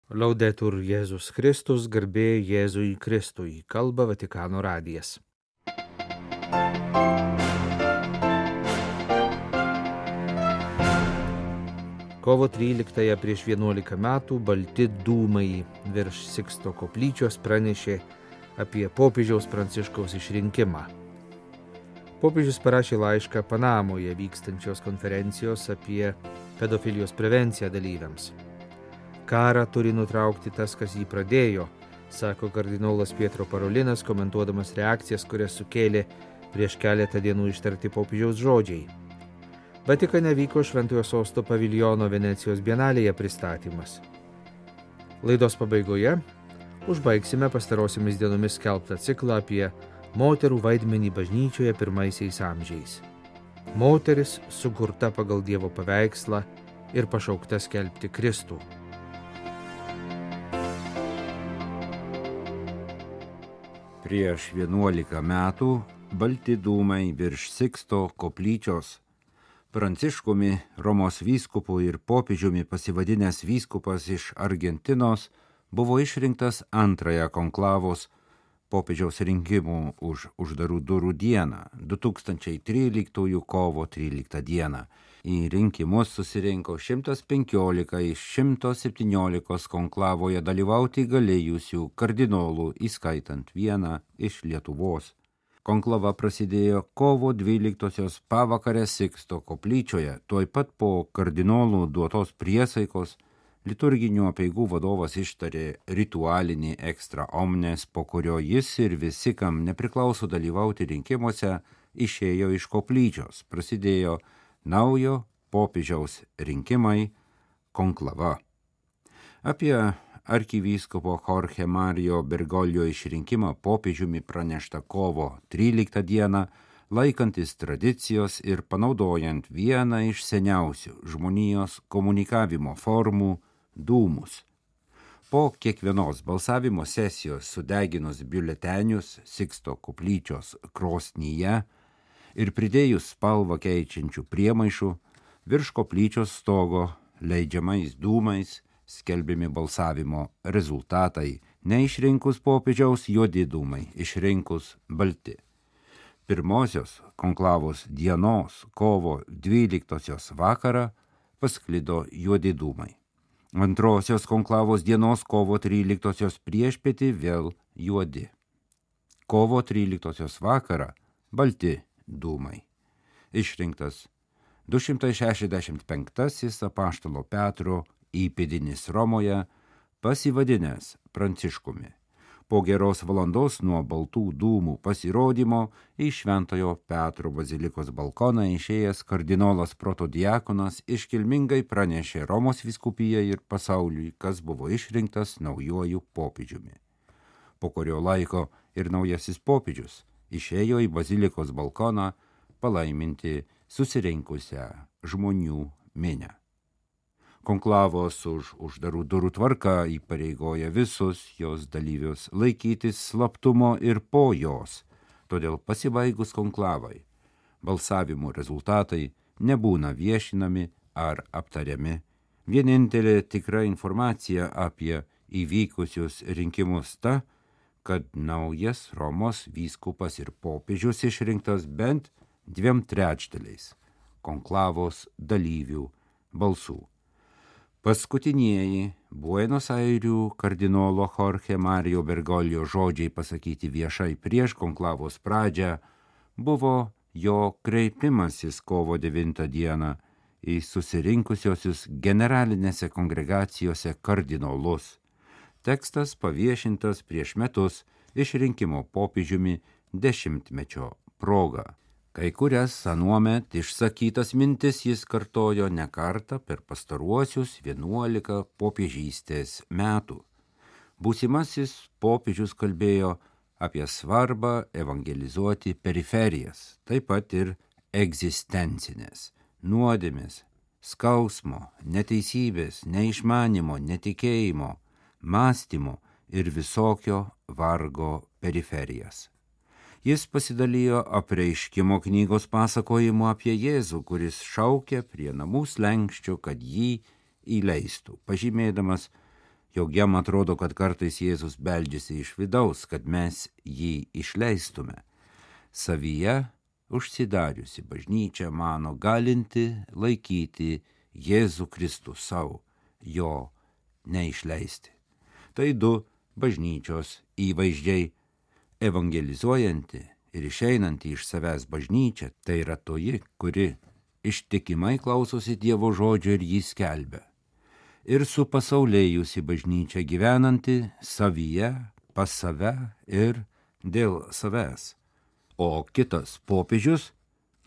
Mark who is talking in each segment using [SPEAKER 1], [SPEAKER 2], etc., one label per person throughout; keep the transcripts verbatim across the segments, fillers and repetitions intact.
[SPEAKER 1] Laudetur Jėzus Kristus, garbė Jėzui Kristui, kalba Vatikano radijas. Kovo tryliktąją prieš vienuolika metų balti dūmai virš Siksto koplyčios pranešė apie popiežiaus Pranciškaus išrinkimą. Popiežius parašė laišką Panamoje vykstančios konferencijos apie pedofilijos prevenciją dalyviams. Karą turi nutraukti tas, kas jį pradėjo, sako kardinolas Pietro Parolinas, komentuodamas reakcijas, kurias sukėlė prieš keletą dienų ištarti popiežiaus žodžiai. Vatikane vyko Šventojo Sosto paviljono Venecijos bienalėje pristatymas. Laidos pabaigoje užbaigsime pastarosiamis dienomis skelbtą ciklą apie moterų vaidmenį bažnyčioje pirmaisiais amžiais. Moteris sukurta pagal Dievo paveikslą ir pašaukta skelbti Kristų.
[SPEAKER 2] Prieš vienuolika metų balti dūmai virš Siksto koplyčios. Pranciškumi, Romos vyskupu ir popiežiumi pasivadinęs vyskupas iš Argentinos buvo išrinktas antrąją konklavos popiežiaus rinkimų už uždarų durų dieną, du tūkstančiai tryliktųjų kovo tryliktą dieną. Į rinkimus susirinko šimtas penkiolika iš šimto septyniolikos konklavoje dalyvauti galėjusių kardinolų, įskaitant vieną iš Lietuvos. Konklava prasidėjo kovo dvyliktosios pavakarę Siksto koplyčioje, tuoj pat po kardinolų duotos priesaikos liturginių apeigų vadovas ištarė ritualinį extra omnes, po kurio jis ir visi, kam nepriklauso dalyvauti rinkimuose, išėjo iš koplyčios. Prasidėjo naujo popiežiaus rinkimai, konklava. Apie arkivyskupo Jorge Mario Bergoglio išrinkimą popiežiumi pranešta kovo tryliktą dieną, laikantis tradicijos ir panaudojant vieną iš seniausių žmonijos komunikavimo formų – dūmus. Po kiekvienos balsavimo sesijos sudeginus biuletenius Siksto koplyčios krosnyje ir pridėjus spalvą keičiančių priemaišų, virš koplyčios stogo leidžiamais dūmais skelbiami balsavimo rezultatai, neišrinkus popiežiaus juodi dūmai, išrinkus balti. Pirmosios konklavos dienos kovo dvyliktosios vakarą pasklido juodi dūmai. Antrosios konklavos dienos kovo tryliktosios priešpietį vėl juodi. Kovo tryliktosios vakarą balti dūmai. Išrinktas du šimtai šešiasdešimt penktasis apaštalo Petro įpėdinis Romoje, pasivadinęs Pranciškumi. Po geros valandos nuo baltų dūmų pasirodymo į Šventojo Petro bazilikos balkoną išėjęs kardinolas protodiakonas iškilmingai pranešė Romos vyskupijai ir pasauliui, kas buvo išrinktas naujuoju popiežiumi. Po kurio laiko ir naujasis popiežius išėjo į bazilikos balkoną palaiminti susirinkusią žmonių minią. Konklavos už uždarų durų tvarka įpareigoja visus jos dalyvius laikytis slaptumo ir po jos, todėl pasibaigus konklavai balsavimų rezultatai nebūna viešinami ar aptariami. Vienintelė tikra informacija apie įvykusius rinkimus ta, kad naujas Romos vyskupas ir popiežius išrinktas bent dviem trečdaliais konklavos dalyvių balsų. Paskutinieji Buenos Airių kardinolo Jorge Mario Bergoglio žodžiai pasakyti viešai prieš konklavos pradžią buvo jo kreipimasis kovo devintą dieną į susirinkusiosius generalinėse kongregacijose kardinolus. Tekstas paviešintas prieš metus išrinkimo popiežiumi dešimtmečio proga. Kai kurias anuomet išsakytas mintis jis kartojo ne kartą per pastaruosius vienuolika popiežystės metų. Būsimasis popiežius kalbėjo apie svarbą evangelizuoti periferijas, taip pat ir egzistencinės, nuodėmės, skausmo, neteisybės, neišmanimo, netikėjimo, mąstymo ir visokio vargo periferijas. Jis pasidalijo apreiškimo knygos pasakojimu apie Jėzų, kuris šaukė prie namų slenksčio, kad jį įleistų, pažymėdamas, jog jam atrodo, kad kartais Jėzus beldžiasi iš vidaus, kad mes jį išleistume. Savyje užsidariusi bažnyčia mano galinti laikyti Jėzų Kristų savo, jo neišleisti. Tai du bažnyčios įvaizdžiai. Evangelizuojanti ir išeinanti iš savęs bažnyčia, tai yra toji, kuri ištikimai klausosi Dievo žodžio ir jį skelbia. Ir supasaulėjusi bažnyčia gyvenanti savyje, pas save ir dėl savęs. O kitas popiežius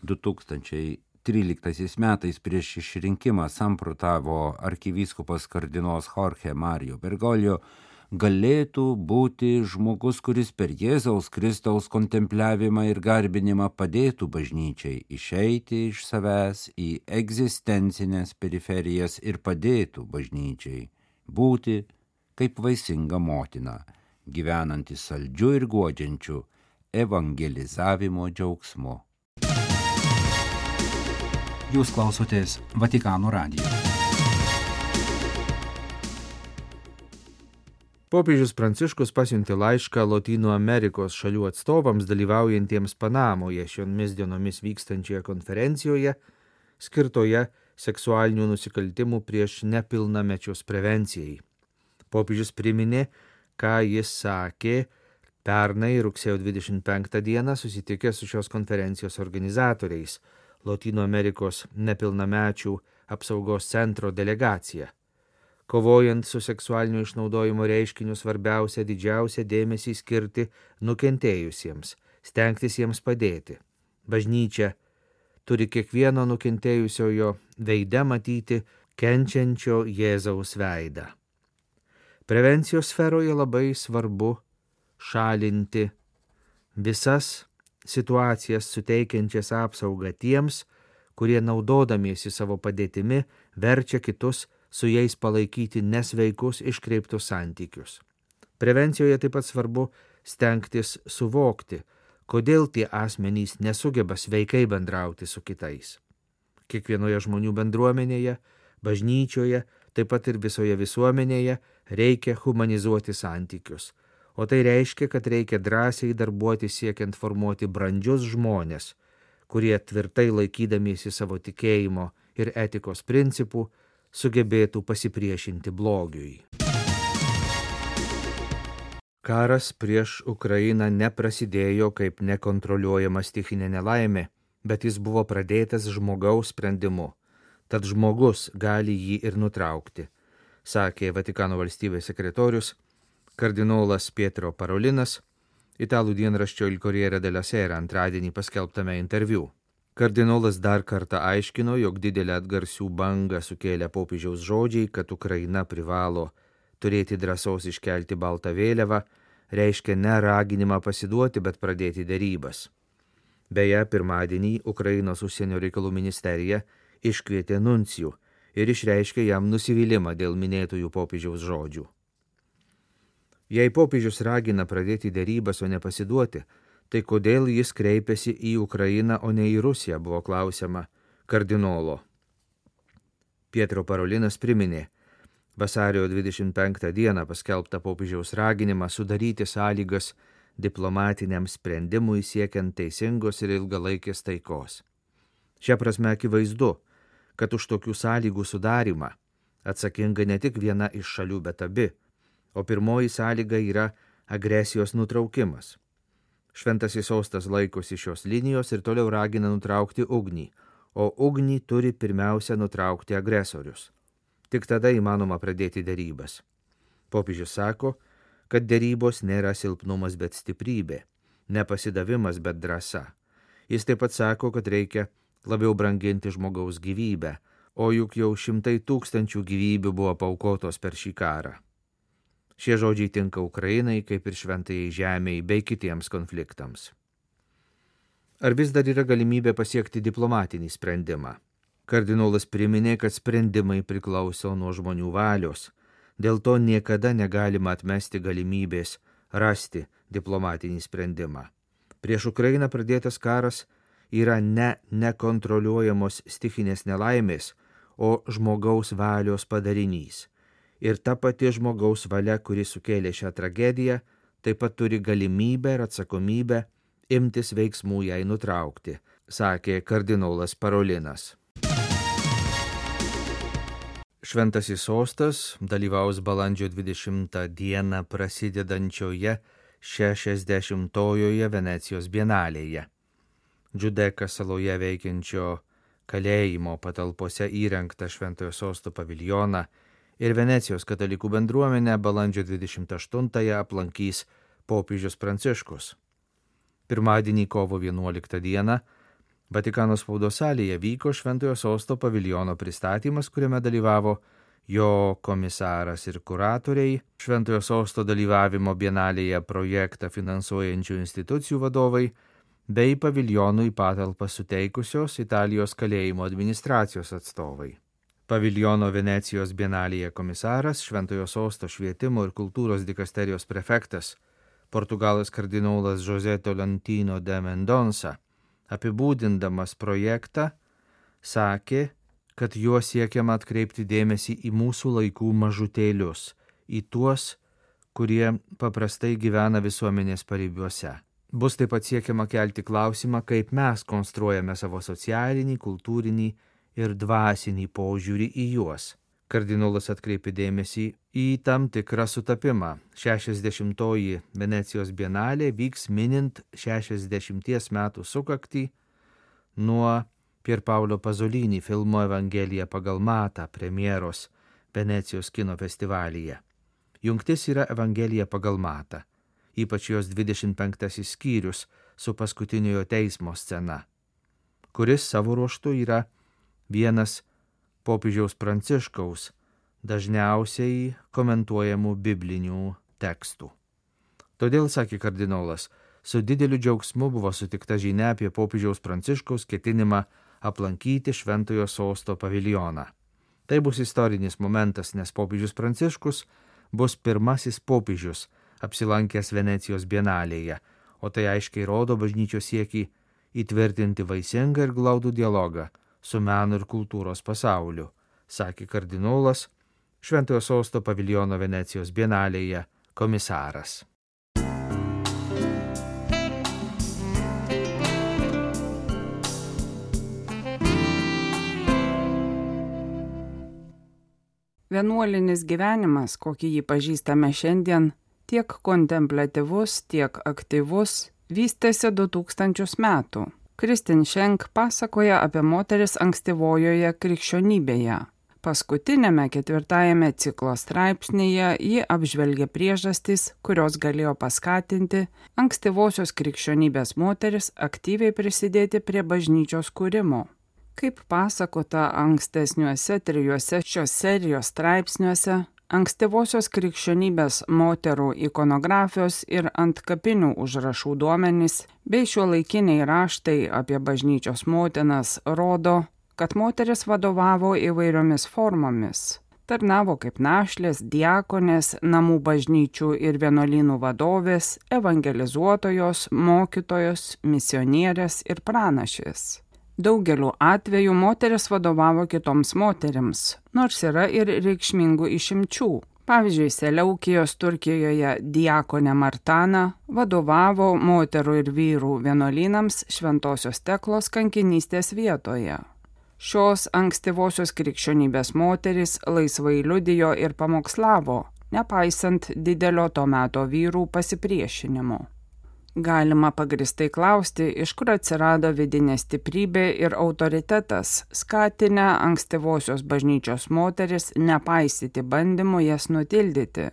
[SPEAKER 2] du tūkstančiai tryliktaisiais metais prieš išrinkimą samprotavo arkivyskupas kardinolas Jorge Mario Bergoglio, galėtų būti žmogus, kuris per Jėzaus Kristaus kontempliavimą ir garbinimą padėtų bažnyčiai išeiti iš savęs į egzistencinės periferijas ir padėtų bažnyčiai būti kaip vaisinga motina, gyvenanti saldžiu ir guodžiančiu evangelizavimo džiaugsmu.
[SPEAKER 3] Jūs klausotės Vatikano radijo.
[SPEAKER 1] Popiežius Pranciškus pasiuntė laišką Lotynų Amerikos šalių atstovams dalyvaujantiems Panamoje šiomis dienomis vykstančioje konferencijoje, skirtoje seksualinių nusikaltimų prieš nepilnamečius prevencijai. Popiežius priminė, ką jis sakė pernai rugsėjo dvidešimt penktą dieną susitikęs su šios konferencijos organizatoriais, Lotynų Amerikos nepilnamečių apsaugos centro delegacija. Kovojant su seksualinio išnaudojimo reiškiniu svarbiausia didžiausia dėmesį skirti nukentėjusiems, stengtis jiems padėti. Bažnyčia turi kiekvieno nukentėjusiojo veide matyti kenčiančio Jėzaus veidą. Prevencijos sferoje labai svarbu šalinti visas situacijas suteikiančias apsaugą tiems, kurie naudodamiesi savo padėtimi verčia kitus su jais palaikyti nesveikus iškreiptus santykius. Prevencijoje taip pat svarbu stengtis suvokti, kodėl tie asmenys nesugeba sveikai bendrauti su kitais. Kiekvienoje žmonių bendruomenėje, bažnyčioje, taip pat ir visoje visuomenėje reikia humanizuoti santykius, o tai reiškia, kad reikia drąsiai darbuoti siekiant formuoti brandžius žmones, kurie tvirtai laikydamiesi savo tikėjimo ir etikos principų sugebėtų pasipriešinti blogiui. Karas prieš Ukrainą neprasidėjo kaip nekontroliuojama stichinė nelaimė, bet jis buvo pradėtas žmogaus sprendimu, tad žmogus gali jį ir nutraukti, sakė Vatikano valstybės sekretorius kardinolas Pietro Parolinas italų dienraščio Il Corriere della Sera antradienį paskelbtame interviu. Kardinolas dar kartą aiškino, jog didelę atgarsių bangą sukėlė popiežiaus žodžiai, kad Ukraina privalo turėti drąsos iškelti baltą vėliavą, reiškia ne raginimą pasiduoti, bet pradėti derybas. Beje, pirmadienį Ukrainos užsienio reikalų ministerija iškvietė nuncijų ir išreiškė jam nusivylimą dėl minėtųjų popiežiaus žodžių. Jei popiežius ragina pradėti derybas, o ne pasiduoti, tai kodėl jis kreipėsi į Ukrainą, o ne į Rusiją, buvo klausiama kardinolo. Pietro Parolinas priminė vasario dvidešimt penktą dieną paskelbtą popiežiaus raginimą sudaryti sąlygas diplomatiniam sprendimui siekiant teisingos ir ilgalaikės taikos. Šia prasme akivaizdu, kad už tokių sąlygų sudarimą atsakinga ne tik viena iš šalių, bet abi, o pirmoji sąlyga yra agresijos nutraukimas. Šventasis sostas laikosi šios linijos ir toliau ragina nutraukti ugnį, o ugnį turi pirmiausia nutraukti agresorius. Tik tada įmanoma pradėti derybas. Popiežius sako, kad derybos nėra silpnumas, bet stiprybė, nepasidavimas, bet drąsa. Jis taip pat sako, kad reikia labiau branginti žmogaus gyvybę, o juk jau šimtai tūkstančių gyvybių buvo paaukotos per šį karą. Šie žodžiai tinka Ukrainai, kaip ir šventajai žemei bei kitiems konfliktams. Ar vis dar yra galimybė pasiekti diplomatinį sprendimą? Kardinolas priminė, kad sprendimai priklauso nuo žmonių valios. Dėl to niekada negalima atmesti galimybės rasti diplomatinį sprendimą. Prieš Ukrainą pradėtas karas yra ne nekontroliuojamos stichinės nelaimės, o žmogaus valios padarinys. ir ta pati žmogaus valia, kuri sukėlė šią tragediją, taip pat turi galimybę ir atsakomybę imtis veiksmų jai nutraukti, sakė kardinolas Parolinas. Šventasis sostas dalyvaus balandžio dvidešimtą dieną prasidedančioje šešiasdešimtojoje Venecijos bienalėje. Džudeka saloje veikiančio kalėjimo patalpose įrengtą Šventojo sosto paviljoną ir Venecijos katalikų bendruomenę balandžio dvidešimt aštuntąją aplankys popiežius Pranciškus. Pirmadienį kovo vienuoliktą dieną Vatikano spaudos salėje vyko Šventojo sosto paviljono pristatymas, kuriame dalyvavo jo komisaras ir kuratoriai, Šventojo sosto dalyvavimo bienalėje projektą finansuojančių institucijų vadovai bei paviljonui patalpą suteikusios Italijos kalėjimo administracijos atstovai. Paviljono Venecijos bienalėje komisaras, Šventojo sosto švietimo ir kultūros dikasterijos prefektas, Portugalas kardinolas José Tolentino de Mendonça, apibūdindamas projektą, sakė, kad juo siekiama atkreipti dėmesį į mūsų laikų mažutėlius, į tuos, kurie paprastai gyvena visuomenės paribiuose. Bus taip pat siekiama kelti klausimą, kaip mes konstruojame savo socialinį, kultūrinį ir dvasinį požiūrį į juos. Kardinolas atkreipė dėmesį į tam tikrą sutapimą. šešiasdešimtoji Venecijos bienalė vyks minint šešiasdešimties metų sukaktį nuo Pier Paolo Pasolini filmo Evangelija pagal Matą premjeros Venecijos kino festivalyje. Jungtis yra Evangelija pagal Matą, ypač jos dvidešimt penktasis skyrius su paskutiniojo teismo scena, kuris savo ruožtu yra vienas popiežiaus Pranciškaus dažniausiai komentuojamų biblinių tekstų. Todėl, sakė kardinolas, su dideliu džiaugsmu buvo sutikta žinia apie popiežiaus Pranciškaus ketinimą aplankyti Šventojo sosto paviljoną. Tai bus istorinis momentas, nes popiežius Pranciškus bus pirmasis popiežius apsilankęs Venecijos bienalėje, o tai aiškiai rodo bažnyčios siekį įtvirtinti vaisingą ir glaudų dialogą su meno ir kultūros pasauliu, sakė kardinolas, Šventojo sosto paviljono Venecijos bienalėje komisaras.
[SPEAKER 4] Vienuolinis gyvenimas, kokį jį pažįstame šiandien, tiek kontempliatyvus, tiek aktyvus, vystėsi du tūkstančius metų. Kristin Schenk pasakoja apie moteris ankstyvojoje krikščionybėje. Paskutinėme ketvirtajame ciklo straipsnyje ji apžvelgia priežastis, kurios galėjo paskatinti ankstyvosios krikščionybės moteris aktyviai prisidėti prie bažnyčios kūrimo. Kaip pasakota ankstesniuose trijuose šios serijos straipsniuose, ankstyvosios krikščionybės moterų ikonografijos ir antkapinių užrašų duomenys bei šiuolaikiniai raštai apie bažnyčios motinas rodo, kad moteris vadovavo įvairiomis formomis. Tarnavo kaip našlės, diakonės, namų bažnyčių ir vienuolynų vadovės, evangelizuotojos, mokytojos, misionierės ir pranašės. Daugeliu atveju moteris vadovavo kitoms moterims, nors yra ir reikšmingų išimčių. Pavyzdžiui, Seleukijos Turkijoje diakonė Martana vadovavo moterų ir vyrų vienuolynams Šventosios Teklos kankinystės vietoje. Šios ankstyvosios krikščionybės moterys laisvai liudijo ir pamokslavo, nepaisant didelio to meto vyrų pasipriešinimo. Galima pagristai klausti, iš kur atsirado vidinė stiprybė ir autoritetas, skatinę ankstyvosios bažnyčios moteris nepaisyti bandymų jas nutildyti.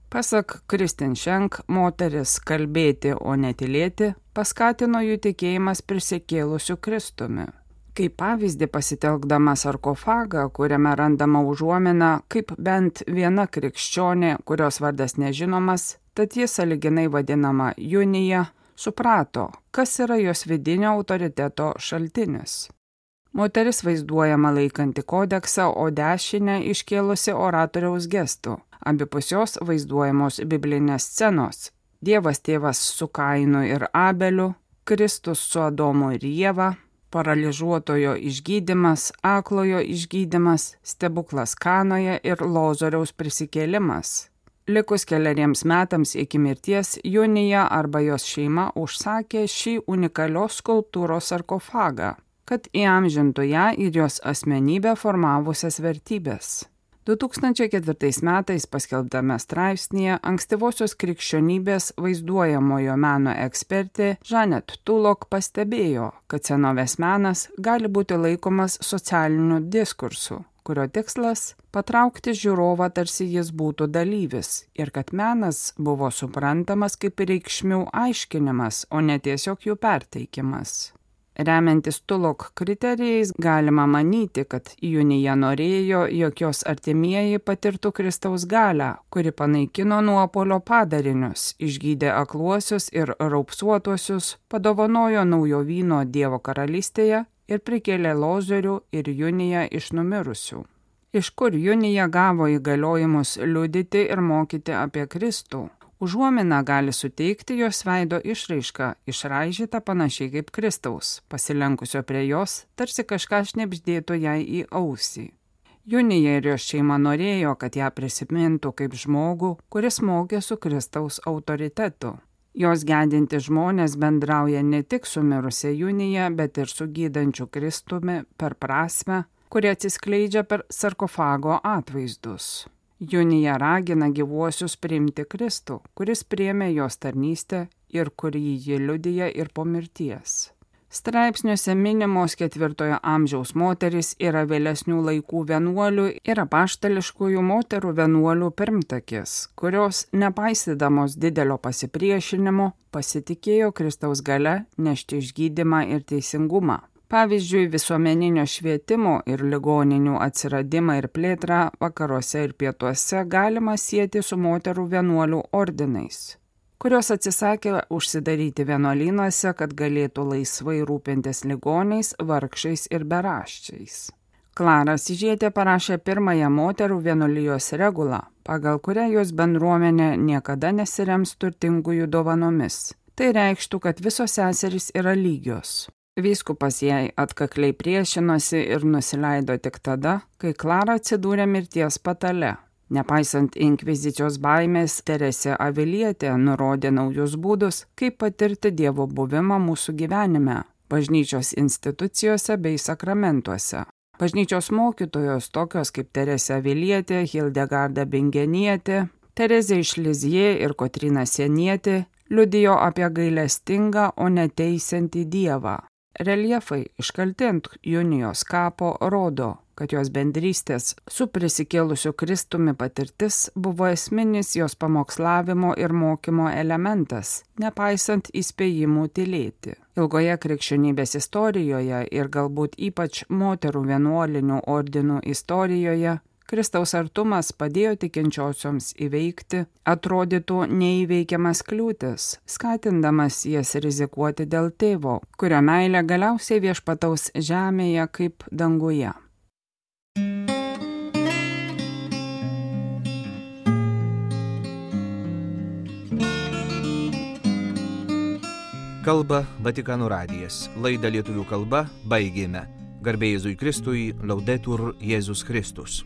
[SPEAKER 4] Pasak Kristin Schenk, moteris kalbėti, o netylėti, paskatino jų tikėjimas prisikėlusiu Kristumi. Kaip pavyzdį pasitelkdama sarkofagą, kuriame randama užuomina, kaip bent viena krikščionė, kurios vardas nežinomas, tad jis sąlyginai vadinama Junija, suprato, kas yra jos vidinio autoriteto šaltinis. Moteris vaizduojama laikanti kodeksą, o dešinę iškėlusi oratoriaus gestų. Abipusios vaizduojamos biblinės scenos. Dievas tėvas su Kainu ir Abeliu, Kristus su Adomu ir Ieva, paralyžiuotojo išgydymas, aklojo išgydymas, stebuklas Kanoje ir Lozoriaus prisikėlimas. Likus keleriems metams iki mirties, Junija arba jos šeima užsakė šį unikalios skulptūros sarkofagą, kad įamžintų ją ir jos asmenybę formavusias vertybės. du tūkstančiai ketvirtais metais paskelbtame straipsnėje ankstyvosios krikščionybės vaizduojamojo meno ekspertė Janet Tulloch pastebėjo, kad senovės menas gali būti laikomas socialiniu diskursu, kurio tikslas – patraukti žiūrovą tarsi jis būtų dalyvis ir kad menas buvo suprantamas kaip reikšmių aiškinimas, o ne tiesiog jų perteikimas. Remiantis Tulloch kriterijais galima manyti, kad Junija norėjo, jog jos artimieji patirtų Kristaus galią, kuri panaikino nuopuolio padarinius, išgydė akluosius ir raupsuotuosius, padovanojo naujo vyno Dievo karalystėje ir prikėlė Lozorių ir Juniją iš numirusių. Iš kur Junija gavo įgaliojimus liudyti ir mokyti apie Kristų? Užuomina gali suteikti jos veido išraišką, išraižytą panašiai kaip Kristaus, pasilenkusio prie jos, tarsi kažką šnibždėtų jai į ausį. Junija ir jos šeima norėjo, kad ją prisimintų kaip žmogų, kuris mokė su Kristaus autoritetu. Jos gedinti žmonės bendrauja ne tik su mirusia Junija, bet ir su gydančiu Kristumi per prasmę, kuri atsiskleidžia per sarkofago atvaizdus. Junija ragina gyvuosius priimti Kristų, kuris priėmė jos tarnystę ir kurį ji liudija ir po mirties. Straipsniuose minimos ketvirtojo amžiaus moterys yra vėlesnių laikų vienuolių ir apaštališkųjų moterų vienuolių pirmtakės, kurios, nepaisydamos didelio pasipriešinimo, pasitikėjo Kristaus galia nešti išgydymą ir teisingumą. Pavyzdžiui, visuomeninio švietimo ir ligoninių atsiradimą ir plėtrą vakaruose ir pietuose galima sieti su moterų vienuolių ordinais, kurios atsisakė užsidaryti vienuolynuose, kad galėtų laisvai rūpintis ligoniais, vargšais ir beraščiais. Klara Sižietė parašė pirmąją moterų vienuolijos regulą, pagal kurią jos bendruomenė niekada nesirems turtingųjų dovanomis. Tai reikštų, kad visos seserys yra lygios. Vyskupas jai atkakliai priešinosi ir nusileido tik tada, kai Klara atsidūrė mirties patale. Nepaisant inkvizicijos baimės, Teresė Avilietė nurodė naujus būdus, kaip patirti Dievo buvimą mūsų gyvenime, bažnyčios institucijose bei sakramentuose. Bažnyčios mokytojos tokios kaip Teresė Avilietė, Hildegarda Bingenietė, Terezė iš Lizie ir Kotryna Sienietė liudijo apie gailestingą, o neteisiantį Dievą. Reljefai iškalti ant Junijos kapo rodo, kad jos bendrystės su prisikėlusiu Kristumi patirtis buvo esminis jos pamokslavimo ir mokymo elementas, nepaisant įspėjimų tylėti. Ilgoje krikščionybės istorijoje ir galbūt ypač moterų vienuolinių ordinų istorijoje Kristaus artumas padėjo tikinčiosioms įveikti atrodytų neįveikiamas kliūtis, skatindamas jas rizikuoti dėl tėvo, kurio meilė galiausiai viešpataus žemėje kaip danguje.
[SPEAKER 1] Kalba Vatikano radijas. Laidą lietuvių kalba baigėme. Garbė Jėzui Kristui, Laudetur Jėzus Kristus.